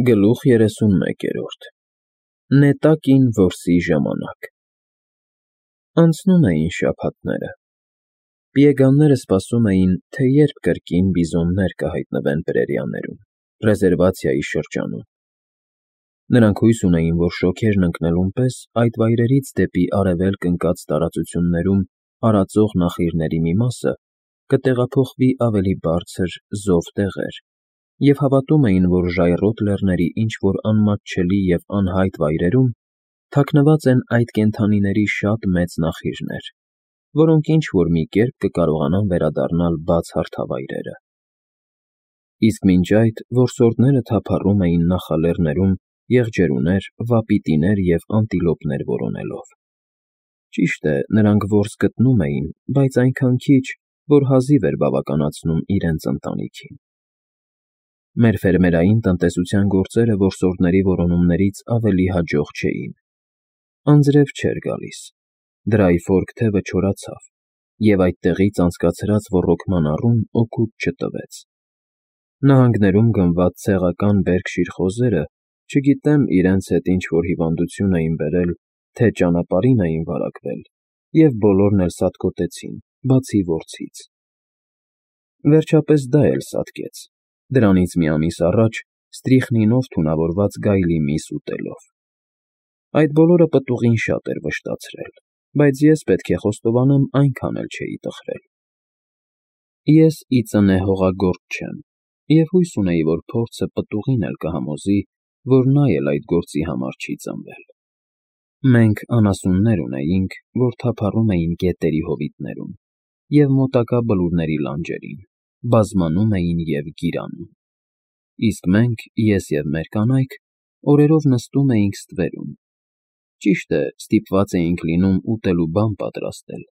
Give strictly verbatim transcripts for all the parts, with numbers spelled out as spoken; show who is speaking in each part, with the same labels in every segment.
Speaker 1: Գլուխ երեսունմեկերորդ Նետակին որսի ժամանակ Անցնում էին շաբաթները, պիեգանները սպասում էին, թե երբ կրկին բիզոններ կհայտնվեն պրերիաներում, ռեզերվացիայի շրջանում. նրանք հույս ունեին, որ շոգերն ընկնելուն պես այդ վայրերից դեպի արևելք ընկած տարածություններում արածող նախիրների մի մասը կտեղափոխվի ավելի բարձր, զով տեղեր, և հավատում էին, որ ժայռոտ լեռների ինչ-որ անմատչելի և անհայտ վայրերում թաքնված են այդ կենդանիների շատ մեծ նախիրներ, որոնք ինչ֊որ մի կերպ կկարողանան վերադառնալ բաց հարթավայրերը։ Իսկ մինչ այդ որսորդները թափառում էին նախալեռներում եղջերուներ, վապիտիներ և անտիլոպներ որոնելով։ Ճիշտ է, նրանք որս գտնում էին, բայց այնքան քիչ, որ հազիվ էր բավականացնում իրենց ընտանիքին։ Մեր ֆերմերային տնտեսության գործերը որսորդների որոնումներից ավելի հաջող չէին։ Անձրև չէր գալիս, դրայֆորք թևը չորացավ, և այդտեղից անցկացրած ոռոգման առում օգուտ չտվեց։ Նահանգներում գնված ցեղական Բերքշիր խոզերը, չգիտեմ իրենց հետ ինչ֊որ հիվանդություն էին բերել, թե ճանապարհին էին վարակվել, և բոլորն էլ սատկոտեցին, բացի որցից։ Վերջապես դա էլ սատկեց, դրանից մի ամիս առաջ ստրիխնինով թունավորված գայլի միս ուտելով։ Այդ բոլորը պտուղին շատ էր վշտացրել, բայց ես, պետք է խոստովանեմ, այնքան էլ չէի տխրել։ Ես ի ծնե հողագործ չեմ, և հույս ունեի, որ փորձը պտուղին էլ կհամոզի, որ նա էլ այդ գործի համար չի ծնվել։ Մենք անասուններ ունեինք, որ թափառում էին գետերի հովիտներում և մոտակա բլուրների լանջերին, բազմանում էին և գիրանում։ Իսկ մենք, ես և մեր կանայք, օրերով նստում էինք ստվերում։ Ճիշտ է, ստիպված էինք լինում ուտելու բան պատրաստել,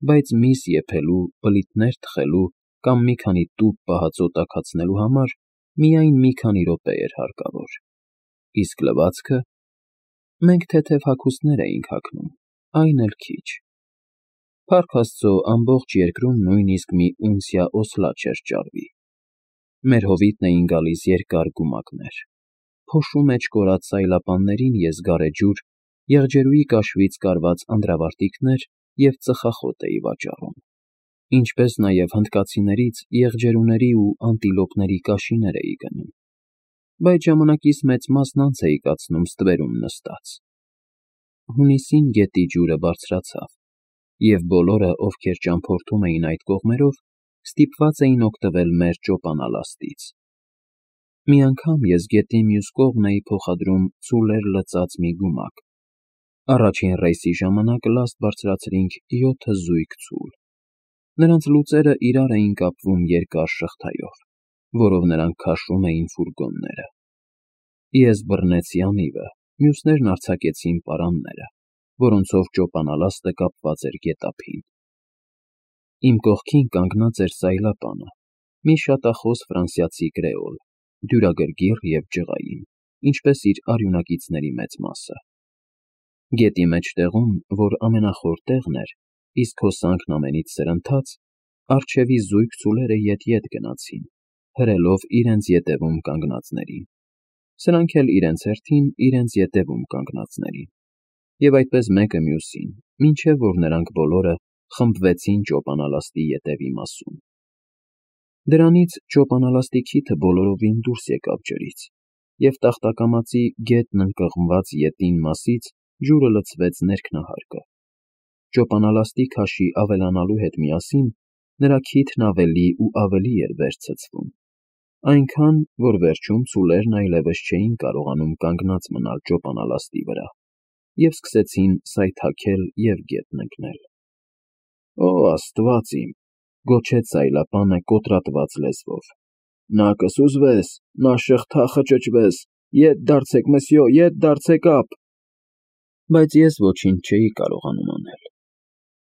Speaker 1: բայց միս եփելու, բլիթներ թխելու կամ մի քանի տուփ պահածո տաքացնելու համար միայն մի քանի րոպե էր հարկավոր։ Իսկ լվացքը… Մենք թեթև հագուստներ էինք հագնում, այն էլ քիչ։ Փառք Աստծո, ամբողջ երկրում նույնիսկ մի ունցիա օսլա չէր ճարվի։ Մեր հովիտն էին գալիս երկար գումակներ։ Փոշու մեջ կորած սայլապաններին ես գարեջուր, եղջերուի կաշվից կարված անդրավարտիքներ և ծխախոտ էի վաճառում, ինչպես նաև հնդկացիներից եղջերուների ու անտիլոպների կաշիներ էի գնում, բայց ժամանակիս մեծ մասն անց էի կացնում ստվերում նստած։ Հունիսին գետի ջուրը բարձրացավ, և բոլորը, ովքեր ճամփորդում էին այդ կողմերով, ստիպված էին օգտվել մեր ճոպանալաստից։ Մի անգամ ես գետի մյուս կողմն էի փոխադրում ցուլեր լցած մի գումակ։ Առաջին ռեյսի ժամանակ լաստ բարձրացրինք յոթ զույգ ցուլ։ Նրանց լուծերը իրար էին կապվում երկար շղթայով, որով նրանք քաշում էին ֆուրգոնները։ Ես բռնեցի անիվը, մյուսներն արձակեցին պարանները, որոնցով ճոպանալաստը կապված էր գետափին։ Իմ կողքին կանգնած էր սայլապանը, մի շատախոս ֆրանսիացի կրեոլ, դյուրագրգիռ և ջղային, ինչպես իր արյունակիցների մեծ մասը։ Գետի մեջտեղում, որ ամենախոր տեղն էր, իսկ հոսանքն ամենից սրընթաց, առջևի զույգ ցուլերը ետ֊ետ գնացին, հրելով իրենց ետևում կանգնածներին, սրանք էլ իրենց հերթին իրենց ետևում կանգնածներին, և այդպես մեկը մյուսին, մինչև որ նրանք բոլորը խմբվեցին ճոպանալաստի ետևի մասում։ Դրանից ճոպանալաստի քիթը բոլորովին դուրս եկավ ջրից, և տախտակամածի գետն ընկղմված ետին մասից ջուրը լցվեց ներքնահարկը։ Ճոպանալաստի քաշի ավելանալու հետ միասին նրա քիթն ավելի ու ավելի էր վեր ցցվում, այնքան, որ վերջում ցուլերն այլևս չէին կարողանում կանգնած մնալ ճոպանալաստի վրա և սկսեցին սայթաքել և գետն ընկնել։ «Օ աստված իմ», գոչեց սայլապանը կոտրատված լեզվով, «նա կսուզվես, նա շղթա խճճվես, ետ դարձեք, մսյո, ետ դարձեք ափ»։ Բայց ես ոչինչ չէի կարողանում անել։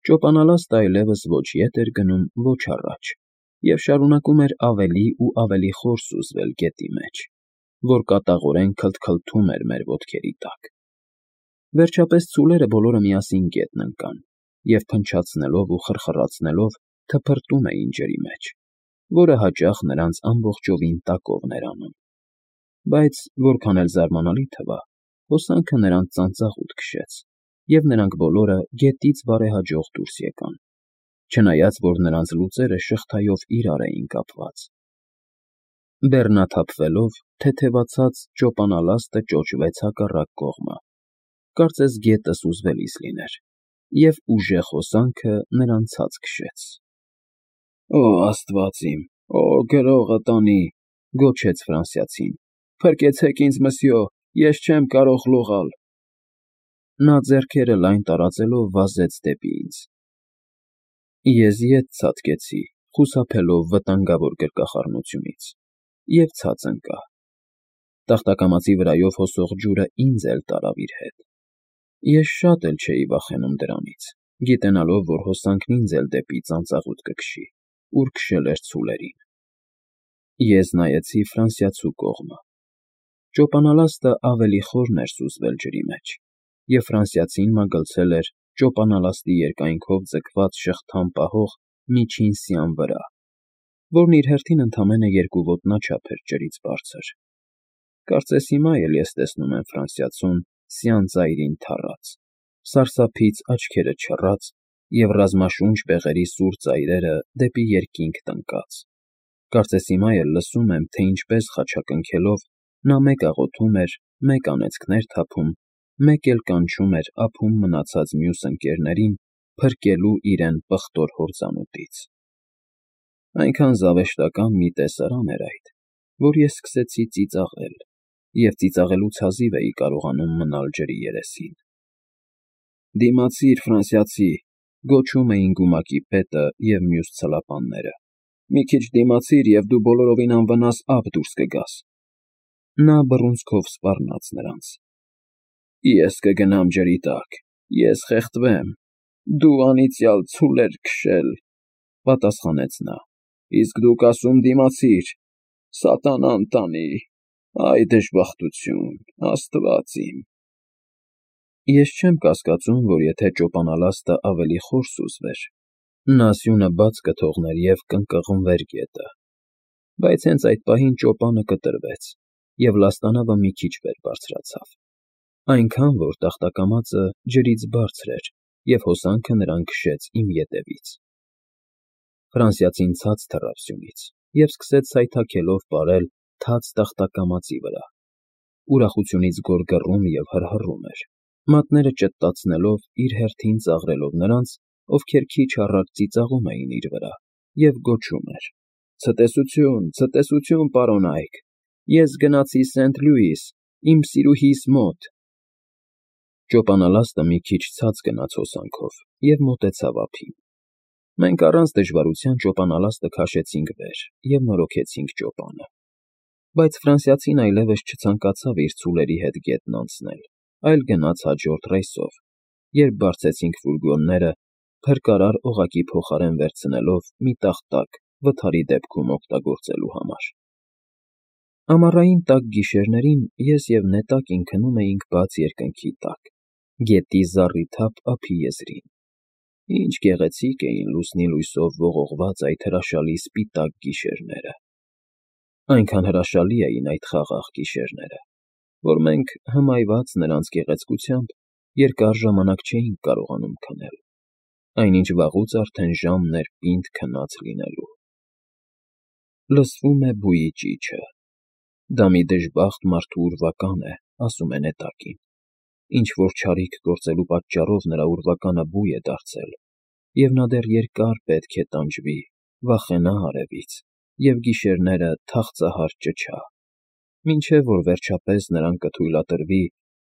Speaker 1: Ճոպանալաստը այլևս ոչ ետ էր գնում, ոչ առաջ, և շարունակում էր ավելի ու ավելի խոր սուզվել գետի մեջ, որ կատաղորեն քլթքլթում էր մեր ոտքերի տակ։ Վերջապես ցուլերը բոլորը միասին գետն ընկան և փնչացնելով ու խրխռացնելով թփրտում էին ջրի մեջ, որը հաճախ նրանց ամբողջովին տակովն էր անում։ Բայց որքան էլ զարմանալի թվա, հոսանքը նրանց ծանծաղուտ քշեց, և նրանք բոլորը գետից բարեհաջող դուրս եկան, չնայած որ նրանց լուծերը շղթայով իրար էին կապված։ Բեռնաթափվելով, թեթևացած ճոպանալաստը ճոճվեց հակառակ կողմը, կարծես գետը սուզվելիս լիներ, և ուժեղ հոսանքը նրան ցած քշեց։ ֊ Օ աստված իմ, օ գրողը տանի,֊ գոչեց ֆրանսիացին,֊ փրկեցեք ինձ, մսյո, ես չեմ կարող լողալ… Նա ձեռքերը լայն տարածելով վազեց դեպի ինձ։ Ես ետ ցատկեցի, խուսափելով վտանգավոր գրկախառնությունից, և ցած ընկա։ Տախտակամածի վրայով հոսող ջուրը ինձ էլ տարավ իր հետ։ Ես շատ էլ չէի վախենում դրանից, գիտենալով, որ հոսանքն ինձ էլ դեպի ծանծաղուտ կքշի, ուր քշել էր ցուլերին։ Ես նայեցի ֆրանսիացու կողմը։ Ճոպանալաստը ավելի խորն էր սուզվել ջրի մեջ, և ֆրանսիացին մագլցել էր ճոպանալաստի երկայնքով ձգված շղթան պահող միջին սյան վրա, որն իր հերթին ընդամենը երկու ոտնաչափ էր ջրից բարձր։ Կարծես հիմա էլ ես տեսնում եմ ֆրանսիացուն սյան ծայրին թառած, սարսափից աչքերը չռած և ռազմաշունչ բեղերի սուր ծայրերը դեպի երկինք տնկած։ Կարծես հիմա էլ լսում եմ, թե ինչպես խաչակնքելով նա մեկ աղոթում էր, մեկ անեծքներ թափում, մեկ էլ կանչում էր ափում մնացած մյուս ընկերներին փրկելու իրեն պղտոր հորձանուտից։ Այնքան զավեշտական մի տեսարան էր այդ, որ ես սկսեցի ծիծաղել, և ծիծաղելուց հազիվ էի կարողանում մնալ ջրի երեսին։ «Դիմացի՛ր, ֆրանսիացի», գոչում էին գումակի պետը և մյուս ցլապանները։ «Մի քիչ դիմացիր, և դու բոլորովին անվնաս ափ դուրս կգաս»։ Նա բռունցքով սպառնաց նրանց։ «Ես կգնամ ջրի տակ, ես խեղդվեմ, դու անիծյալ ցուլ էր քշել,֊ պատասխանեց նա,֊ իսկ դուք ասում դիմացիր… Սատանան տանի… Այ դժբախտություն, աստված իմ…»։ Ես չեմ կասկածում, որ եթե ճոպանալաստը ավելի խոր սուզվեր, նա սյունը բաց կթողներ և կընկղմվեր գետը, բայց հենց այդ պահին ճոպանը կտրվեց, և լաստանավը մի քիչ վեր բարձրացավ, այնքան, որ տախտակամածը ջրից բարձր էր, և հոսանքը նրան քշեց իմ ետևից։ Ֆրանսիացին ցած թռավ սյունից և սկսեց սայթաքելով պարել թաց տախտակամածի վրա, ուրախությունից գոռգոռում և հռհռում էր, մատները ճտտացնելով իր հերթին ծաղրելով նրանց, ովքեր քիչ առաջ ծիծաղում էին իր վրա, և գոչում էր. «Ցտեսություն, ցտեսություն, պարոնայք, ես գնացի Սենթ Լյուիս, իմ սիրուհիս մոտ»։ Ճոպանալաստը մի քիչ ցած գնաց հոսանքով և մոտեցավ ափին։ Մենք առանց դժվարության ճոպանալաստը քաշեցինք վեր և նորոգեցինք ճոպանը։ Բայց ֆրանսիացին այլևս չցանկացավ իր ցուլերի հետ գետն անցնել, այլ գնաց հաջորդ ռեյսով, երբ բարձեցինք ֆուրգոնները, փրկարար օղակի փոխարեն վերցնելով մի տախտակ վթարի դեպքում օգտագործելու համար։ Ամառային տաք գիշերներին ես և Նետակին քնում էինք բաց երկնքի տակ, գետի զառիթափ ափի եզրին։ Ինչ գեղեցիկ էին լուսնի լույսով ողողված այդ հրաշալի սպիտակ գիշերները… Այնքան հրաշալի էին այդ խաղաղ գիշերները, որ մենք, հմայված նրանց գեղեցկությամբ, երկար ժամանակ չէինք կարողանում քնել, այնինչ վաղուց արդեն ժամն էր պինդ քնած լինելու։ Լսվում է բույի ճիչը։ Դա մի դժբախտ մարդու ուրվական է, ասում է Նետակին, ինչ֊որ չարիք գործելու պատճառով նրա ուրվականը բույ է դարձել, և նա դեռ երկար պետք է տանջվի, վախենա արևից և գիշերները թախծահար ճչա, մինչև որ վերջապես նրան կթույլատրվի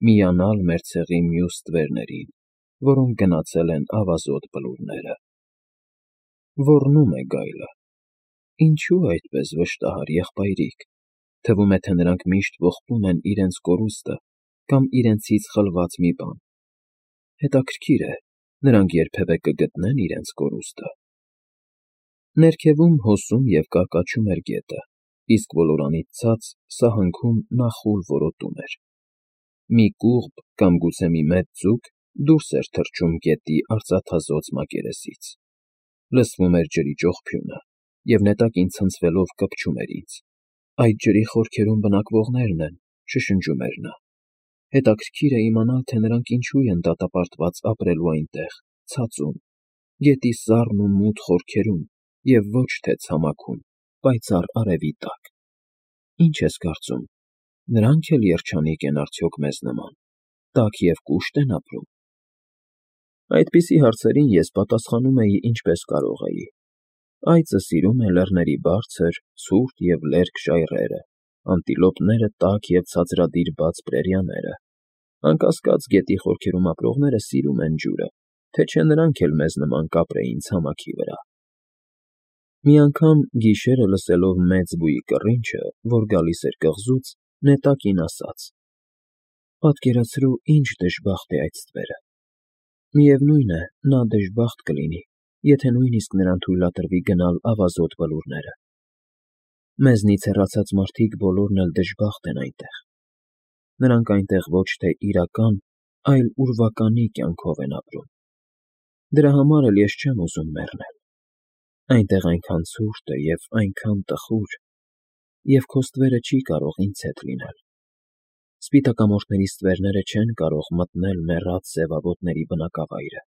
Speaker 1: միանալ մեր ցեղի մյուս ստվերներին, որոնք գնացել են ավազոտ բլուրները։ Ոռնում է գայլը։ Ինչո՞ւ այդպես վշտահար, եղբայրիկ, թվում է, թե նրանք միշտ ողբում են իրենց կորուստը կամ իրենցից խլված մի բան։ Հետաքրքիր է, նրանք երբևէ կգտնե՞ն իրենց կորուստը։ Ներքևում հոսում և կարկաչում էր գետը, իսկ ոլորանից ցած սահնքում նախուլ որոտում էր։ Մի կուղբ կամ գուցե մի մեծ ձուկ դուրս էր թռչում գետի արծաթազօծ մակերեսից։ Լսվում էր ջրի ճողփյունը, և Նետակին ցնցվելով կպչում էր ինձ։ Այդ ջրի խորքերում բնակվողներն են, շշնջում էր նա։ Հետաքրքիր է իմանալ, թե նրանք ինչու են դատապարտված ապրելու այնտեղ, ցածում, գետի սառն ու մութ խորքերում և ոչ թե ցամաքում, պայծառ արևի տակ։ Ինչ ես կարծում, նրանք էլ երջանիկ են արդյոք մեզ նման, տաք և կուշտ են ապրում։ Այդպիսի հարցերին ես պատասխանում էի ինչպես կարող էի. Այծը սիրում է լեռների բարձր, ցուրտ և լերկ ժայռերը, անտիլոպները տաք և ցածրադիր բաց պրերիաները, անկասկած, գետի խորքերում ապրողները սիրում են ջուրը, թե չէ նրանք էլ մեզ նման կապրեին ցամաքի վրա։ Մի անգամ, գիշերը լսելով մեծ բույի կռինչը, որ գալիս էր կղզուց, նետակին ասաց. «Պատկերացրու, ինչ դժբախտ է այդ ստվերը։ Միևնույն է, նա դժբախտ կլինի, եթե նույնիսկ նրան թույլատրվի գնալ ավազոտ բլուրները։ Մեզնից հեռացած մարդիկ բոլորն էլ դժբախտ են այնտեղ։ Նրանք այնտեղ ոչ թե իրական, այլ ուրվականի կյանքով են ապրում։ Դրա համար էլ ես չեմ ուզում մեռնել։ Այնտեղ այնքան ցուրտ է և այնքան տխուր, և քո ստվերը չի կարող ինձ հետ լինել։ Սպիտակամորթների ստվերները չեն կարող մտնել մեռած սևավոտների բնակավայրը»։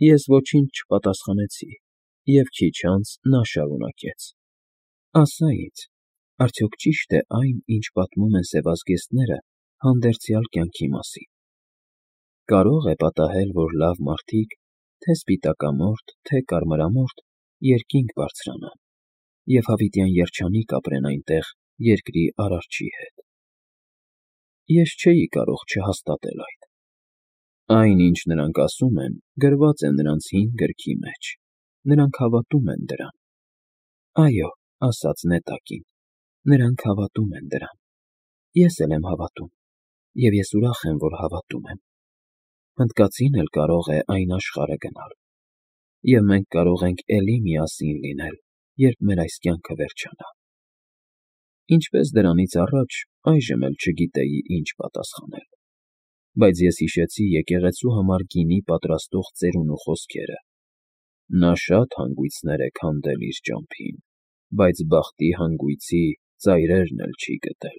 Speaker 1: Ես ոչինչ չպատասխանեցի, և քիչ անց նա շարունակեց. «Ասա ինձ, արդյոք ճի՞շտ է այն, ինչ պատմում են սևազգեստները հանդերձյալ կյանքի մասին։ Կարո՞ղ է պատահել, որ լավ մարդիկ, թե սպիտակամորթ, թե կարմրամորթ, երկինք բարձրանան և հավիտյան երջանիկ ապրեն այնտեղ երկրի Արարչի հետ։ Ես չէի կարող չհաստատել այդ։ Այն, ինչ նրանք ասում են, գրված է նրանց հին գրքի մեջ, նրանք հավատում են դրան»։ «Այո», ասաց նետակին, «նրանք հավատում են դրան։ Ես էլ եմ հավատում, և ես ուրախ եմ, որ հավատում եմ։ Հնդկացին էլ կարող է այն աշխարհը գնալ, և մենք կարող ենք էլի միասին լինել, երբ մեր այս կյանքը վերջանա»։ Ինչպես դրանից առաջ, այժմ էլ չգիտեի ինչ պատասխանել, բայց ես հիշեցի եկեղեցու համար գինի պատրաստող ծերունու խոսքերը. «Նա շատ հանգույցներ է քանդել իր ճամփին, բայց բախտի հանգույցի ծայրերն էլ չի գտել»։